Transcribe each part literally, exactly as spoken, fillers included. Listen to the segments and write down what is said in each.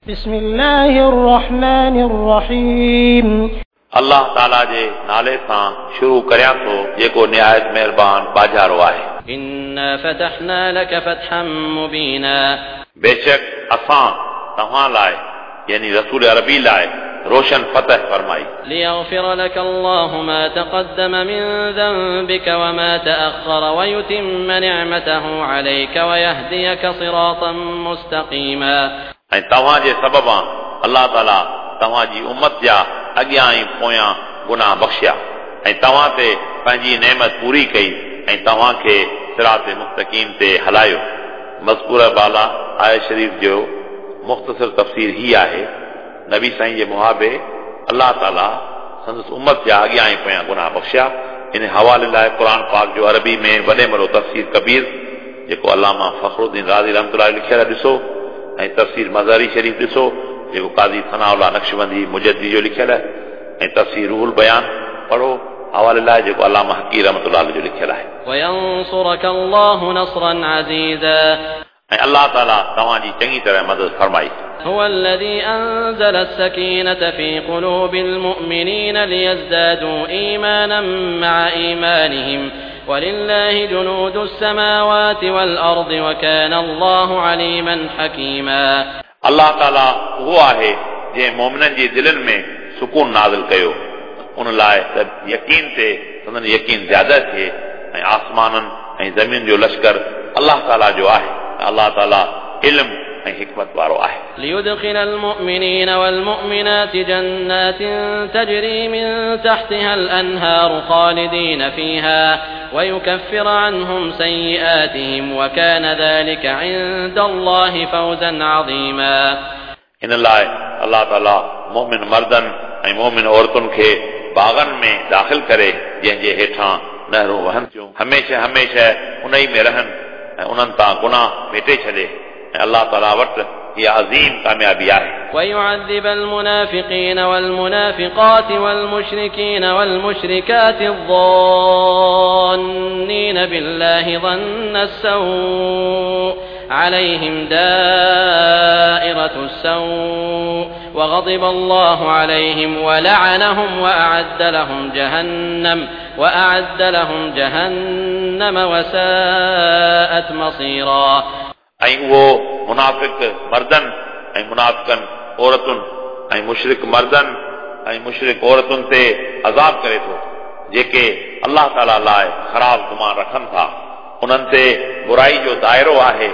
بسم الله الرحمن الرحيم. الله تعالى جي نالي سان شروع ڪريان ٿو جيڪو نهايت مهربان باجارو آهي. إنا فتحنا لك فتحا مبينا. بيشڪ اسان توهان لاءِ يعني رسول عربي لاءِ روشن فتح فرمائي. ليغفر لك الله ما تقدم من ذنبك وما تأخر ويتم نعمته عليك ويهديك صراطا مستقيما. ऐं तव्हां जे सबबा अलाह ताला तव्हां जी उमत जा अॻियां ऐं पोयां गुनाह बख़्शिया ऐं तव्हां ते पंहिंजी नेमत पूरी कई ऐं तव्हांखे सिरात मुस्तक़ीम ते हलायो। मज़कूर बाला आयत शरीफ़ जो मुख़्तसर तफ़सीर ही आहे। नबी साईं जे मुहाबे अलाह ताला संदसि उमत जा अॻियां ऐं पोयां गुनाह बख़्शिया। इन हवाले लाइ क़ुर पाक जो अरबी में वॾे में वॾो तफ़सीर कबीर जेको अलामा फ़ख़रुद्दीन राज़ी रहमतुल्लाह लिखियल ॾिसो ऐं तफ़सीर मज़हरी शरीफ़ ॾिसो जेको काज़ी सनाउल्लाह नक्शबंदी मुजद्दी जो लिखियल आहे ऐं तफ़सीर रूहुल बयान पढ़ो हवाले लाइ जेको अलामा हकी रहमतुल्लाह जो लिखियल आहे। وينصرك الله نصرا عزيزا. ऐं अलाह ताला तव्हांजी चङी तरह मदद फरमाई। هو الذي أنزل السكينة في قلوب المؤمنين ليزدادوا إيمانا مع إيمانهم ولله جنود السماوات والأرض وكان الله عليما حكيما. अलाह ताला उहो आहे जंहिं मोमिननि जी दिलनि में सुकून नाज़िल कयो उन लाइ त यकीन ते संदन यकीन ज़्यादा थिए ऐं आसमाननि ऐं ज़मीन जो लश्कर अलाह ताला जो आहे। अलाह ताला इल्म ऐं हिकमत वारो आहे। ليدخل المؤمنين والمؤمنات جنات تجري من تحتها الأنهار خالدين فيها ويكفر عنهم سيئاتهم وكان ذلك عند الله فوزا عظيما. इन लाइ अलाह ताला मोमिन मर्दनि ऐं मोमिन औरतुनि खे बाग़नि में दाख़िल करे जंहिंजे हेठां नहरूं वहनि थियूं, हमेशह हमेशह उन ई में रहनि ऐं उन्हनि तां गुनाह मेटे छॾे ऐं अलाह ताला वटि इहा अज़ीम कामयाबी आहे। ويعذب المنافقين والمنافقات والمشركين والمشركات الظانين بالله ظن السوء عليهم دائرة السوء وغضب الله عليهم ولعنهم وأعد لهم جهنم وأعد لهم جهنم وساءت مصيرا. ऐं उहो मुनाफ़िक मर्दनि ऐं मुनाफ़िकनि औरतुनि ऐं मुशरिक मर्दनि ऐं मुशरिक औरतुनि ते अज़ाब करे थो जेके अलाह ताला लाइ ख़राब गुमान रखनि था। उन्हनि ते बुराई जो दायरो आहे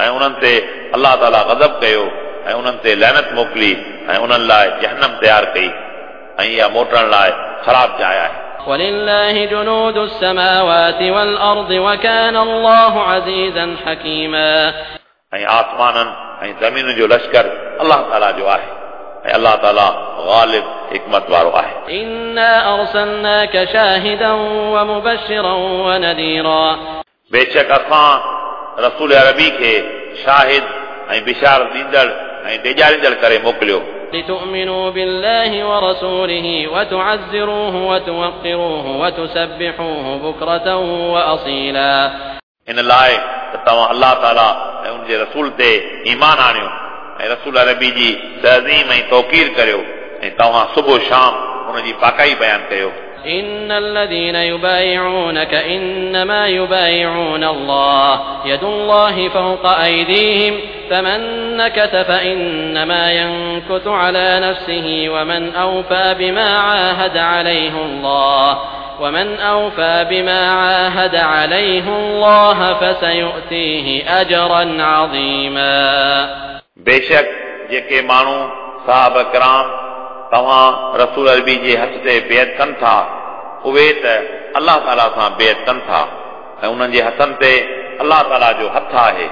ऐं उन्हनि ते अलाह ताला ग़ज़ब कयो ऐं उन्हनि ते लैनत मोकिली ऐं उन्हनि लाइ जहनम तयारु कई ऐं इहा मोटण लाइ ख़राब जाइ आहे। ولله جنود السماوات والأرض وكان الله عزيزا حكيما. ऐं आसमाननि ऐं ज़मीन जो लश्कर अलाह ताला जो आहे ऐं अलाह ताला ग़ालिब हिकमत वारो आहे। إنا أرسلناك شاهدا ومبشرا ونذيرا. बेशक असां रसूल अरबी खे शाहिद ऐं बिशार ॾींदड़ ऐं ॾेजारींदड़ करे मोकिलियो। لتؤمنوا بالله ورسوله وتعزروه وتوقروه وتسبحوه بكرة وأصيلا. इन लाइ त तव्हां अलाह ताला ऐं उनजे रसूल ते ईमान आणियो ऐं रसूल अरबी जी तज़ीम ऐं तौक़ीर करियो ऐं तव्हां सुबुह शाम उनजी पाकाई बयानु कयो। إن الذين يبايعونك إنما يبايعون الله يد الله فوق أيديهم فمن نكث فإنما ينكث على نفسه ومن أوفى بما عاهد عليه الله ومن أوفى بما عاهد عليه الله فسيؤتيه أجرا عظيما. बेशक जेके माण्हू साहब कराम तव्हां रसूल अरबी जे हथ ते बेअत कनि था उहे त अलाह ताला सां बेअत कनि था ऐं उन्हनि जे हथनि ते अलाह ताला जो हथु आहे।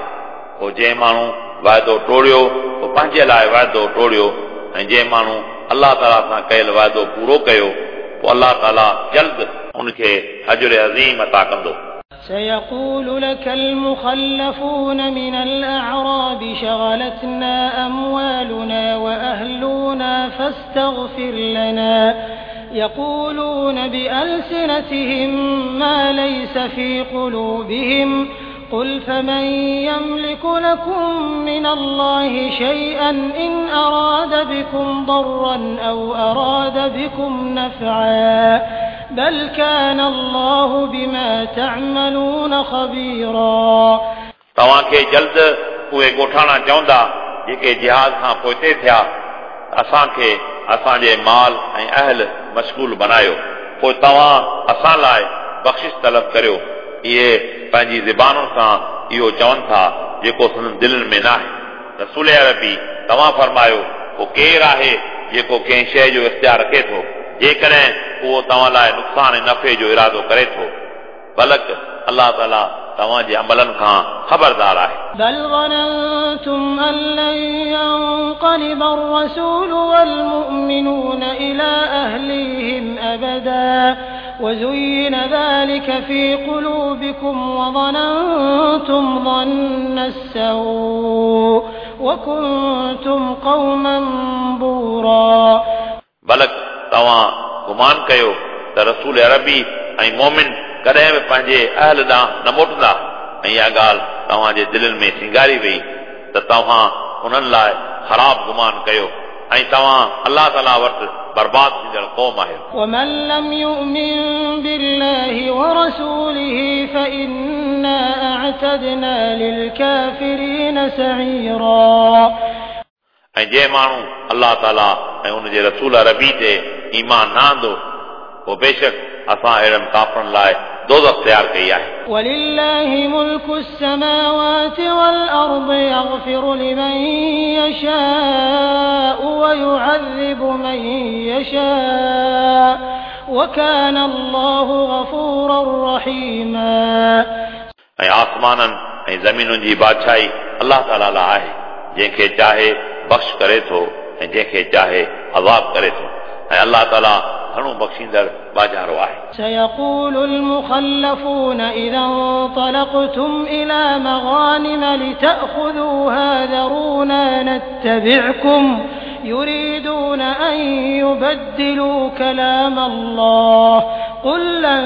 पोइ जंहिं माण्हू वाइदो टोड़ियो पोइ पंहिंजे लाइ वाइदो टोड़ियो ऐं जंहिं माण्हू अलाह ताला सां कयल वाइदो पूरो कयो पोइ अलाह ताला जल्द उनखे अजर अज़ीम अता कंदो। سيقول لك المخلفون من الأعراب شغلتنا أموالنا وأهلنا فاستغفر لنا يقولون بألسنتهم ما ليس في قلوبهم قل فمن يملك لكم من الله شيئا إن أراد بكم ضرا أو أراد بكم نفعا بل كان الله بما تعملون خبيرا. तव्हांखे जल्द उहे ॻोठाणा चवंदा जेके जिहाद खां पोइते थिया, असांखे असांजे माल ऐं अहल मशगूल बनायो, पोइ तव्हां असां लाइ बख़्शिश तलब करियो। इहे पंहिंजी ज़बानुनि सां इहो चवनि था जेको संदन दिलनि में नाहे। रसूल अरबी तव्हां फरमायो, पोइ केरु आहे जेको कंहिं शइ जो इख़्तियार रखे थो जेकॾहिं उहो तव्हां लाइ नुक़सान ऐं नफ़े जो इरादो करे थो? बल्कि अलाह ताला तव्हांजे अमलनि खां ख़बरदार आहे। بل ظننتم أن لن ينقلب الرسول والمؤمنون إلى أهليهم أبدا وزين ذلك في قلوبكم وظننتم ظن السوء وكنتم قوما بورا. बल्कि तव्हां गुमान कयो त रसूल अरबी ऐं मोमिन कॾहिं बि पंहिंजे अहल ॾांहुं न मोटंदा, ऐं इहा ॻाल्हि तव्हांजे दिलनि में सिंगारी वई त तव्हां उन्हनि लाइ ख़राब गुमान कयो ऐं तव्हां अलाह ताला वटि बर्बाद थींदड़ क़ौम आहियो। ومن لم يؤمن بالله ورسوله فإنا أعتدنا للكافرين سعيرا. ऐं जंहिं माण्हू अलाह ताला ऐं उनजे रसूल अरबी ते ईमान न आंदो, पोइ बेशक असां अहिड़नि काफ़रनि लाइ दोज़ख तयारु कई आहे। ولله ملك السماوات والأرض يغفر لمن يشاء ويعذب من يشاء وكان الله غفورا رحيما. ऐं आसमाननि ऐं ज़मीनुनि जी बादशाही अलाह ताला लाइ आहे, जंहिंखे चाहे बख़्श करे थो ऐं जंहिंखे चाहे अज़ाब करे थो, ऐं अलाह ताला घणो बख़्शींदड़ बाजारो आहे। سيقول المخلفون إذا انطلقتم إلى مغانم لتأخذوها ذرونا نتبعكم يريدون أن يبدلوا كلام الله قل لن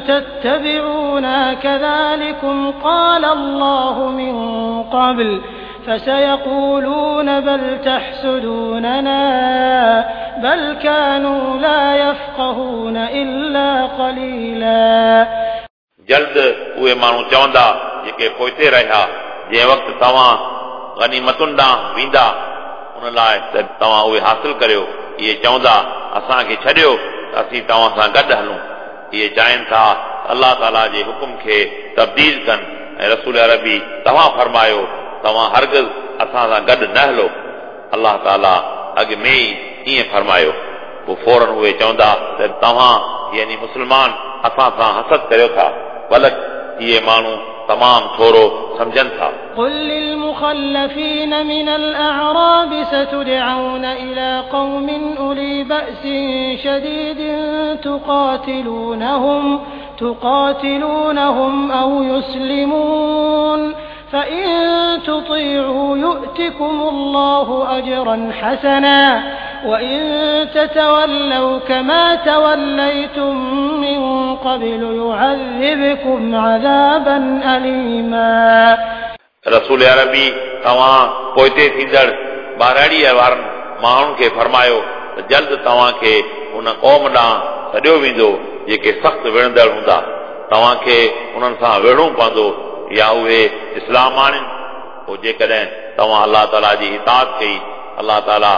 تتبعونا كذلكم قال الله من قبل فسيقولون بل تحسدوننا بل كانوا لا يفقهون إلا قليلا. जल्द उहे माण्हू चवंदा जेके पोइते रहिया, जंहिं वक़्तु तव्हां गनीमतुनि ॾांहुं वेंदा उन लाइ त तव्हां उहे हासिल करियो। इहे चवंदा असांखे छॾियो त असीं तव्हां सां गॾु हलूं। इहे चाहिनि था अलाह ताला जे हुकुम खे तब्दील कनि। ऐं रसूल अरबी तव्हां फरमायो, तव्हां हरगिज़ असां सां गॾु न हलो। अलाह ताला अॻु में ई ईअं फरमायो। पोइ फ़ौरन उहे चवंदा त तव्हां यानी मुस्लमान असां सां हसद करियो था, बल्कि इहे माण्हू तमामु थोरो सम्झनि था। قل للمخلفين من الأعراب ستدعون إلى قوم أولي بأس شديد تقاتلونهم تقاتلونهم أو يسلمون فإن تطيعوا يؤتكم الله أجرا حسنا وإن تتولوا كما توليتم من قبل يعذبكم عذابا أليما. रसूल अरबी तव्हां पोइते थींदड़ ॿारहड़ीअ वारनि माण्हुनि खे फरमायो त जल्द तव्हांखे उन क़ौम ॾांहुं सॾियो वेंदो जेके सख़्तु विढ़ंदड़ हूंदा। तव्हांखे उन्हनि सां विढ़णो पवंदो या उहे इस्लाम आणनि। पोइ जेकॾहिं तव्हां अलाह ताला जी इताअत कई, अलाह ताला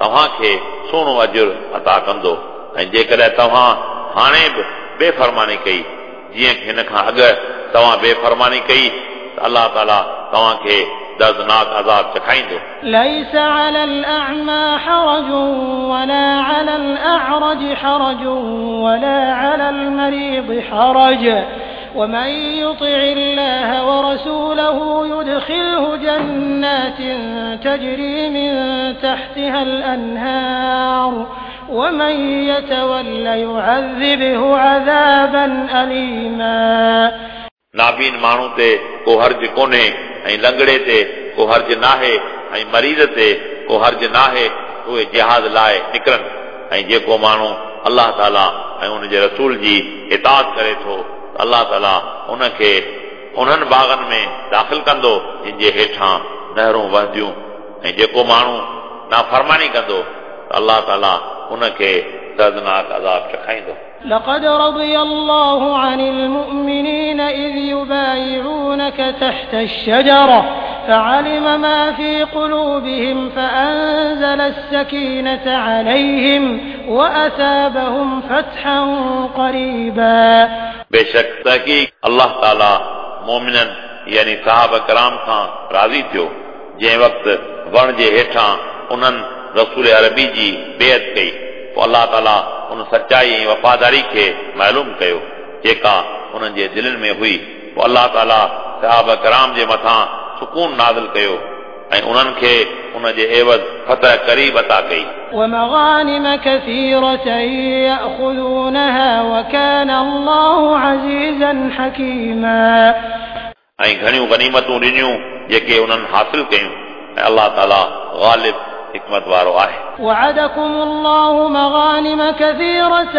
तव्हांखे सुहिणो अजुर अता कंदो। ऐं जेकॾहिं तव्हां हाणे बि बेफ़रमानी कई, जीअं हिन खां अॻु तव्हां बेफ़रमानी कई, त अलाह ताला तव्हांखे दर्दनाक अज़ाब चखाईंदो। ليس على الأعمى حرج ولا على الأعرج حرج ولا على المريض حرج ومن يطع الله ورسوله يدخله جنات تجري من تحتها الأنهار ومن يتول يعذبه عذابا أليما. नाबीन माण्हू ते को हर्ज कोन्हे ऐं लंगड़े ते को हर्ज नाहे ऐं मरीज़ ते को हर्ज नाहे, उहे जिहाद लाइ निकिरनि। ऐं जेको माण्हू अलाह ताला ऐं उनजे रसूल जी इताअत करे थो, अलाह ताला उनखे उन्हनि बाग़नि में दाख़िल कंदो जिन जे हेठां नहरूं वहंदियूं ऐं जेको माण्हू नाफ़रमानी कंदो त अलाह ताला उनखे दर्दनाक अज़ाब चखाईंदो। لقد رضي الله عن المؤمنين إذ يبايعونك تحت الشجرة فعلم ما في قلوبهم فأنزل السكينة عليهم وأثابهم فتحا قريبا। बेशक तहक़ीक़ अलाह ताला मोमिननि यानी साहब कराम खां राज़ी थियो जंहिं वक़्तु वण जे हेठां उन्हनि रसूल अरबी जी बेअत कई पोइ अलाह ताला उन सचाई ऐं वफ़ादारी खे मालूम कयो जेका उन्हनि जे दिलनि में हुई। पोइ अलाह ताला साहब कराम जे मथां सुकून नाज़िल कयो ऐं उन्हनि खे उन जे एवज़ फतह क़रीब अता कई। ومغانم كثيرة يأخذونها وكان الله عزيزا حكيما। ऐं घणियूं गनीमतूं ॾिनियूं जेके उन्हनि हासिल कयूं ऐं अलाह ताला ग़ालिब हिकमत वारो आहे। وعدكم الله مغانم كثيرة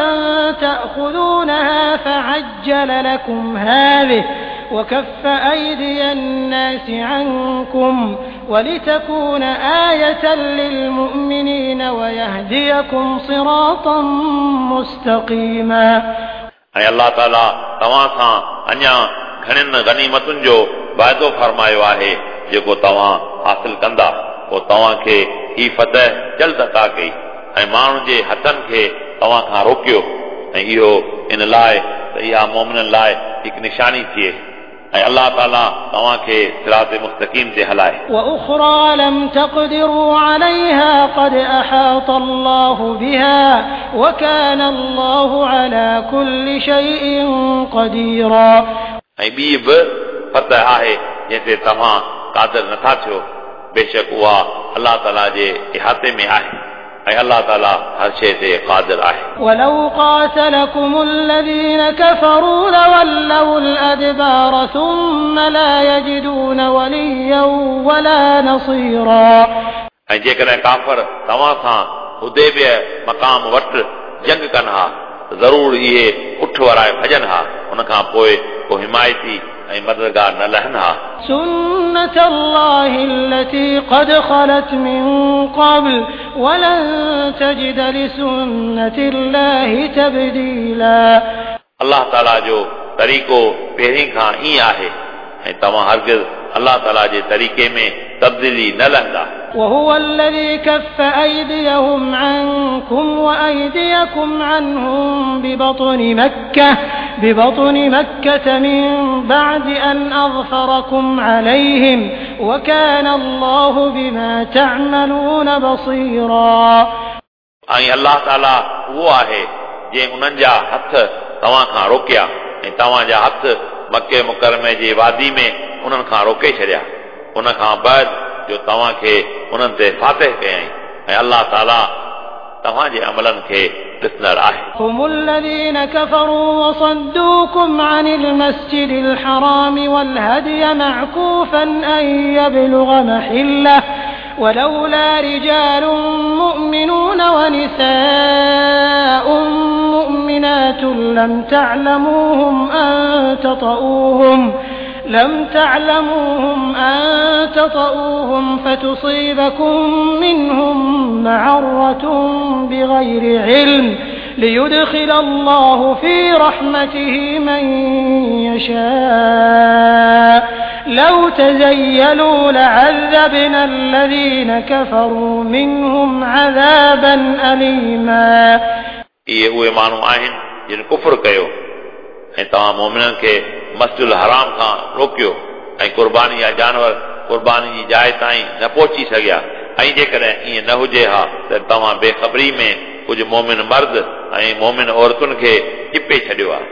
تأخذونها فعجل لكم هذه وكف أيدي الناس عنكم ولتكون آية للمؤمنين ويهديكم صراطا مستقيما। ऐं अलाह ताला तव्हां सां अञा घणनि गनीमतुनि जो वाइदो फरमायो आहे जेको तव्हां हासिल कंदा। पोइ तव्हांखे ही फतह जल्द अता कई ऐं माण्हुनि जे हथनि खे तव्हां खां रोकियो ऐं इहो इन लाइ त इहा मोमिननि लाइ हिकु निशानी थिए ऐं अलाह ताला तव्हांखे सिरात मुस्तक़ीम ते हलाए। وأخرى لم تقدروا عليها قد أحاط الله بها وكان الله على كل شيء قديرا। ऐं ॿी बि फतह आहे जंहिं ते तव्हां क़ादिर नथा थियो, बेशक उहा अलाह ताला जे इहाते में आहे ऐं अलाह ताला हर शइ ते क़ादिर आहे। ولو قاتلكم الذين كفروا لولوا الأدبار ثم لا يجدون وليا ولا نصيرا। ऐं जेकॾहिं काफ़र तव्हां सां हुदैबिया मक़ाम वटि जंग कनि हा त ज़रूर इहे उठ वराए भॼनि हा, उन खां पोइ को हिमायती ऐं मददगार न लहनि हा। سنة الله التي قد خلت من قبل ولن تجد لسنة الله تبديلا। अलाह ताला जो तरीक़ो पहिरीं खां ईअं आहे ऐं तव्हां हरगिज़ अलाह ताला जे तरीक़े में तब्दीली न लहंदा। وهو الذي كف أيديهم عنكم وأيديكم عنهم ببطن مكة ببطن مكة من بعد أن أظفركم عليهم وكان الله بما تعملون بصيرا। ऐं अलाह ताला उहो आहे जंहिं उन्हनि जा हथ तव्हां खां रोकिया ऐं तव्हांजा हथ मक्के मुकरमे जे वादी में उन्हनि खां रोके छॾिया, उन खां बाद जो तव्हांखे उन्हनि ते फातिह कयईं ऐं अलाह ताला तव्हांजे अमलनि खे ॾिसंदड़ आहे। هم الذين كفروا وصدوكم عن المسجد الحرام والهدي معكوفا أن يبلغ محله ولولا رجال مؤمنون ونساء مؤمنات لم تعلموهم أن تطؤوهم لم تعلموهم أن تطؤوهم فتصيبكم منهم معرة بغير علم ليدخل الله في رحمته من يشاء لو تزيلوا لعذبنا الذين كفروا منهم عذابا أليما. इहे उहे माण्हू आहिनि जिन कुफुर कयो ऐं तव्हां मोमिननि खे मस्जिद हराम खां रोकियो ऐं कुर्बानी जा जानवर कुर्बानी जी जाइ ताईं न पहुची सघिया ऐं जेकॾहिं ईअं न हुजे हा त तव्हां बेख़बरी में कुझु मोमिन मर्द ऐं मोमिन औरतुनि खे चिपे छॾियो आहे,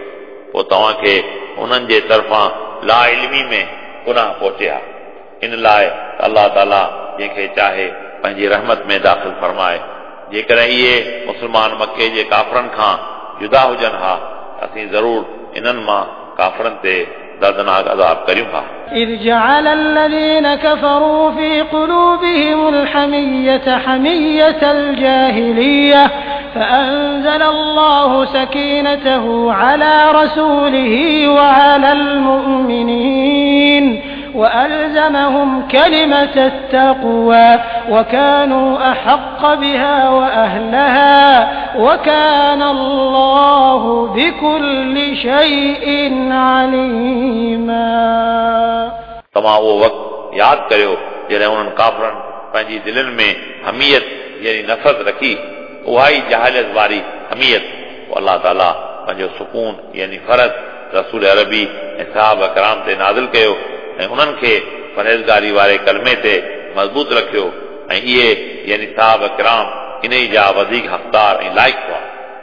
पोइ तव्हांखे उन्हनि जे तरफ़ां ला इल्मी में गुनाह पहुचे हा। इन लाइ अलाह ताला जंहिंखे चाहे पंहिंजी रहमत में दाख़िल फरमाए। जेकॾहिं इहे मुस्लमान मक्के जे काफ़रनि खां जुदा हुजनि हा असीं ज़रूर इन्हनि मां काफ़रनि ते दर्दनाक अज़ाब करियूं हा। إذ جعل الذين كفروا في قلوبهم الحمية حمية الجاهلية فأنزل الله سكينته على رسوله وعلى المؤمنين وألزمهم كلمة التقوى وكانوا أحق بها وأهلها وكان الله بكل شيء عليما. तव्हां उहो वक़्तु यादि करियो जॾहिं उन्हनि काफ़रनि पंहिंजी दिलनि में हमीयत यानी नफ़रत रखी, उहा ई जहालत वारी हमीयत। पोइ अलाह ताला पंहिंजो सुकून यानी फ़रज़ रसूल अरबी ऐं साहब कराम ते नाज़िल कयो ऐं उन्हनि खे परहेज़गारी वारे कलमे ते मज़बूत रखियो ऐं इहे यानी साहब कराम इन ई जा वधीक हक़दार ऐं लाइक़ हुआ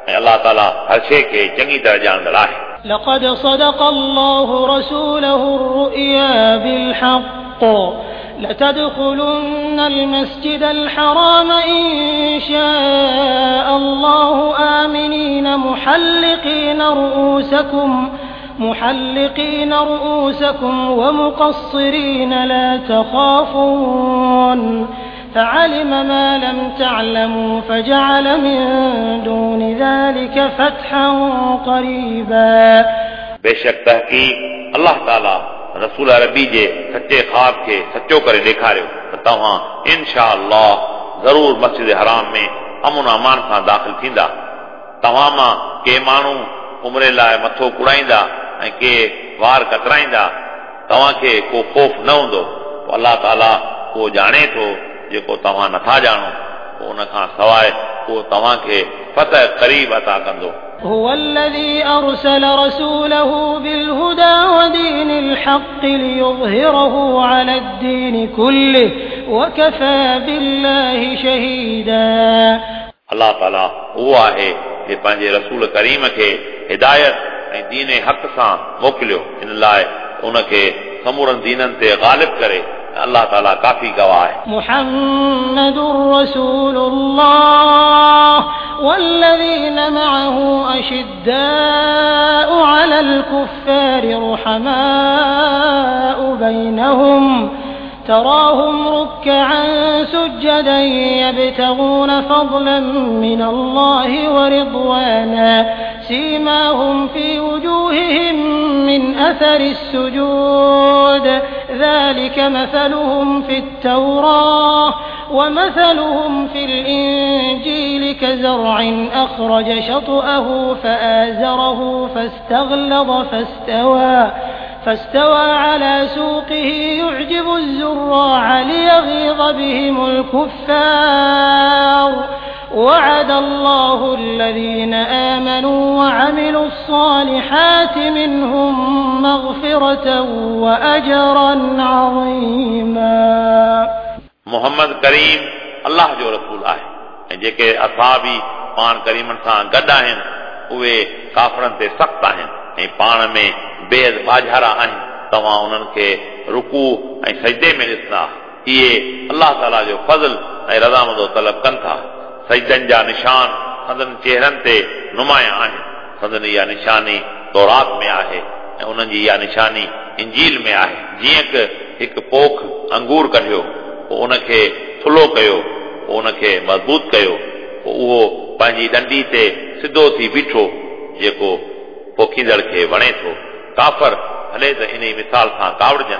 ऐं अलाह ताला हर शइ खे चङी तरह ॼाणंदड़ आहे। لقد صدق الله رسوله الرؤيا بالحق لتدخلن المسجد الحرام إن شاء الله آمنين محلقين رؤوسكم محلقين رؤوسكم ومقصرين لا تخافون فعلم ما لم تعلموا فجعل من دون ذلك فتحا قريبا. बेशक तहक़ीक़ अलाह ताला रसूल अरबी जे सच्चे ख़्वाब खे सचो करे ॾेखारियो त तव्हां इनशा अल्लाह ज़रूर मस्जिद हराम में अमन अमान सां दाख़िल थींदा। तव्हां मां के माण्हू उमरे लाइ मथो कुड़ाईंदा ऐं के वार कतराईंदा, तव्हांखे को ख़ौफ़ न हूंदो। पोइ अलाह ताला उहो ॼाणे थो जेको तव्हां नथा ॼाणो, पोइ उन खां सवाइ उहो तव्हांखे फतह क़रीब अता कंदो। هو الذي أرسل رسوله بالهدى ودين الحق ليظهره على الدين كله وكفى بالله شهيدا. अलाह ताला उहो आहे जे पंहिंजे रसूल करीम खे हिदायत ऐं दीन हक़ सां मोकिलियो, इन लाइ उनखे समूरनि दीननि ते ग़ालिब करे। अलाह ताला काफ़ी गवाह आहे। मुहम्मदुर रसूलुल्लाह والذين معه أشداء على الكفار رحماء بينهم تراهم ركعا سجدا يبتغون فضلا من الله ورضوانا سيماهم في وجوههم من أثر السجود ذلك مثلهم في التوراة ومثلهم في الإنجيل كزرع أخرج شطأه فآزره فاستغلظ فاستوى فاستوى على سوقه يعجب الزراع ليغيظ بهم الكفار وعد الله الذين آمنوا وعملوا الصالحات منهم مغفرة وأجرا عظيما. मोहम्मद करीम अलाह जो रसूल आहे ऐं जेके असाबी पाण करीमनि सां गॾु आहिनि उहे काफ़रनि ते सख़्तु आहिनि ऐं पाण में बेहद बाझारा आहिनि। तव्हां उन्हनि खे रुकू ऐं सजदे में ॾिसंदा। इहे अलाह ताला जो फज़ल ऐं रज़ामंदो तलब कनि था। सजदनि जा निशान संदन चेहरनि ते नुमायां आहिनि। संदन इहा निशानी तौरात में आहे ऐं उन्हनि जी इहा निशानी इंजील में आहे। जीअं की हिकु पोख अंगूर कढियो, पोइ उनखे थुल्हो कयो, पोइ उनखे मज़बूत कयो, पोइ उहो पंहिंजी ॾंडी ते सिधो थी बीठो जेको पोखींदड़ खे वणे थो। काफ़र भले त इन मिसाल सां कावड़जनि।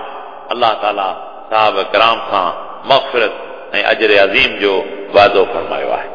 अलाह ताला साहब कराम सां मग़फ़िरत ऐं अजर अज़ीम जो वाइदो फरमायो आहे।